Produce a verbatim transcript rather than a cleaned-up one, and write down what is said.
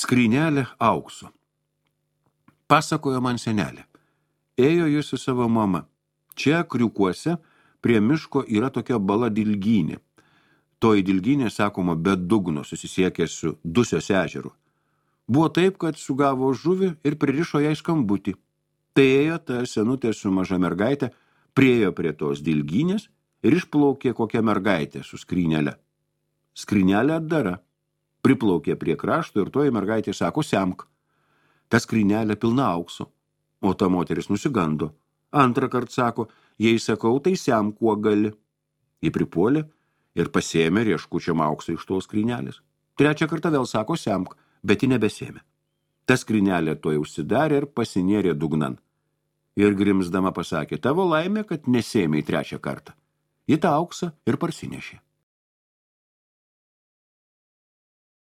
Skrynelė aukso. Pasakojo man senelė. Ėjo jis su savo mama. Čia kriukuose prie miško yra tokia bala dilgynė. Toji dilgynė, sakoma, be dugno susisiekė su Dusios ežeru. Buvo taip, kad sugavo žuvį ir pririšo jai skambutį. Tai ėjo ta senutė su maža mergaitė, priejo prie tos dilgynės ir išplaukė kokią mergaitę su skrynelė. Skrynelė atdara. Priplaukė prie krašto ir toji mergaitė sako, semk. Ta skrynelė pilna aukso. O ta moteris nusigando. Antrą kartą sako, jei sakau, tai semk, kuo gali. Ji pripuolė ir pasėmė rieškučiam auksą iš tos skrynelės. Trečią kartą vėl sako, semk, bet ji nebesėmė. Ta skrynelė tuoj užsidarė ir pasinėrė dugnan. Ir grimsdama pasakė, tavo laimė, kad nesėmė į trečią kartą. Ji tą auksą ir parsinešė.